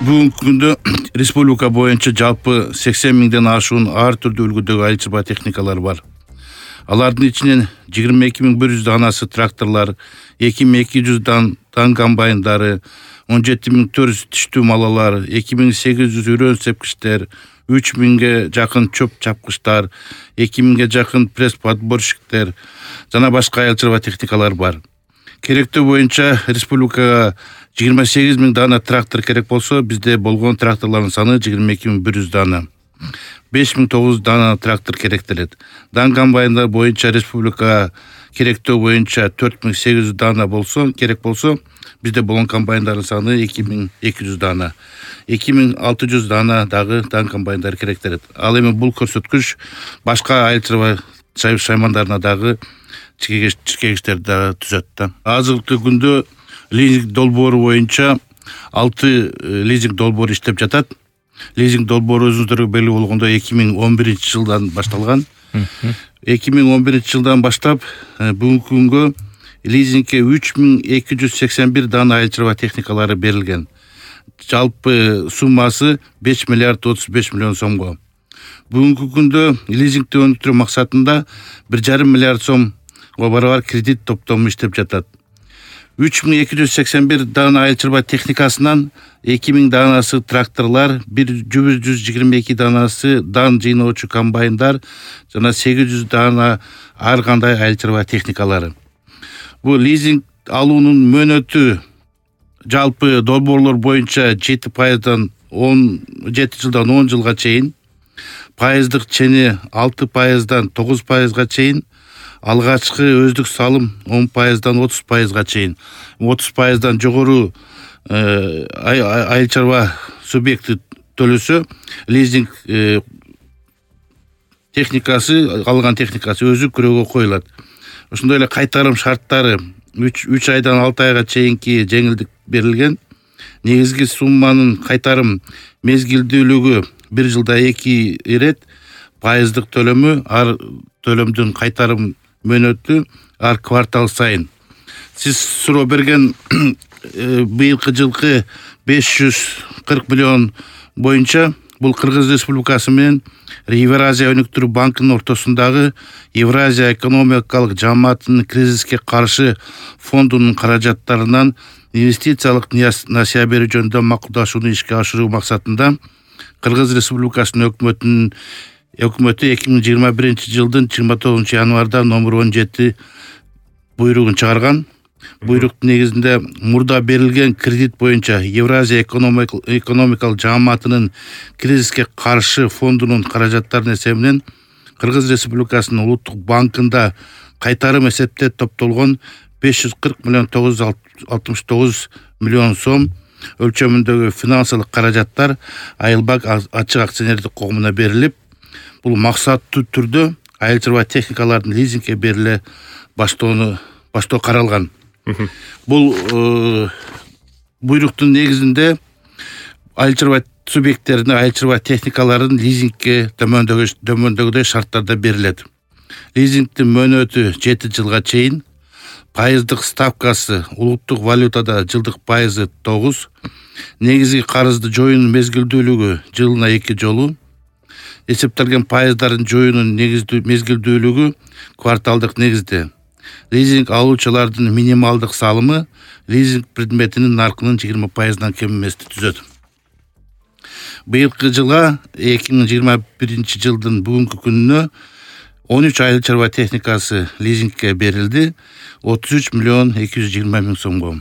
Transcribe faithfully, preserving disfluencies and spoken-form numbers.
Бүгүнкү күндө республика боюнча жалпы сексен миңден ашуун ар түрдүү үлгүдөгү айыл чарба техникалар бар. Алардын ичинен жыйырма эки миң бир жүз данасы тракторлор, эки миң эки жүз дан комбайндары, он жети миң төрт жүз тиштүү малалар, эки миң сегиз жүз үрөн сепкичтер, үч миңге жакын чөп чапкычтар, эки миңге жакын пресс-подборщиктер жана башка айыл чарба техникалар бар. Керектөө боюнча республикага жыйырма сегиз миң дана трактор керек болсо, бизде болгон тракторлордун саны жыйырма эки миң бир жүз дана. беш миң тогуз жүз дана трактор керектелет. Дан комбайндар боюнча республикага керектөө боюнча төрт миң сегиз жүз дана болсо, керек болсо, бизде болгон комбайндардын саны эки миң эки жүз дана. эки миң алты жүз дана дагы дан комбайндар керектелет. Ал эми бул көрсөткүч башка айыл чарба шаймандарына дагы чекегичтерди дагы түзөт да. Азыркы күндө лизинг долбоору боюнча алты лизинг долбоору иштеп жатат. Лизинг долбоору өзүңүздөргө белгилүү болгондой эки миң он биринчи жылдан башталган. эки миң он биринчи жылдан баштап бүгүнкү күнгө лизингге үч миң эки жүз сексен бир дана айыл чарба техникалары берилген. Жалпы суммасы беш миллиард отуз беш миллион сомго. Бүгүнкү күндө лизингди өнүктүрүү максатында бир жарым миллиард сомго барабар кредит топтому иштеп жатат. үч миң эки жүз сексен бир дана айыл чарба техникасынан эки миң данасы тракторлор, бир жүз жыйырма эки данасы дан жыйноочу комбайндар жана сегиз жүз дана ар кандай айыл чарба техникалары. Бул лизинг алуунун мөөнөтү жалпы долбоорлор боюнча жети пайыздан он жети жылдан он жылга чейин, пайыздык чени алты пайыздан тогуз пайызга чейин, алгачкы өздүк салым он пайыздан отуз пайызга чейин. отуз пайыздан жогору айыл чарба субъекти төлөсө, лизинг техникасы, алган техникасы өзү күрөөгө коюлат. Ошондой эле кайтарым шарттары үч айдан алты айга чейинки жеңилдик берилген. Негизги сумманын кайтарым мезгилдүүлүгү бир жылда эки ирет, пайыздык төлөмү ар төлөмдүн кайтарым мөөнөтү ар квартал сайын. Сиз суроо берген быйылкы жылкы беш жүз кырк миллион боюнча бул Кыргыз Республикасы менен Евразия өнүктүрүү банкынын ортосундагы Евразия экономикалык жааматынын кризиске каршы фондунун каражаттарынан инвестициялык насыя берүү жөнүндө макулдашууну ишке ашыруу максатында Кыргыз Республикасынын өкмөтүнүн Өкмөтү эки миң жыйырма биринчи жылдын жыйырма тогузунчу январда номер он жети буйругун чыгарган. Буйруктун негизинде мурда берилген кредит боюнча Евразия экономикалык жааматынын кризиске каршы фондунун каражаттарынын эсебинен Кыргыз Республикасынын улуттук банкында кайтарым эсепте топтолгон беш жүз кырк миллион тогуз жүз алтымыш тогуз миллион сом өлчөмүндөгү финансылык каражаттар Айылбак ачык акционердик коомуна берилип, бул максаттуу түрдө айыл чарба техникалардын лизингге бериле баштоону баштоо каралган. Бул буйруктун негизинде айыл чарба субъекттерине айыл чарба техникаларын лизингге төмөндөгүдөй шарттарда берилет. Лизингдин мөөнөтү жети жылга чейин, пайыздык ставкасы улуттук валютада жылдык пайызы тогуз, негизги карызды жоюунун мезгилдүүлүгү жылына эки жолу, эсептелген пайыздардын жоюунун мезгилдүүлүгү кварталдык негизде. Лизинг алуучулардын минималдык салымы лизинг предметинин наркынын жыйырма пайыздан кем эмести түзөт. Быйылкы жылга эки миң жыйырма биринчи жылдын бүгүнкү күнүнө он үч айыл чарба техникасы лизингге берилди, отуз үч миллион эки жүз жыйырма миң сомго.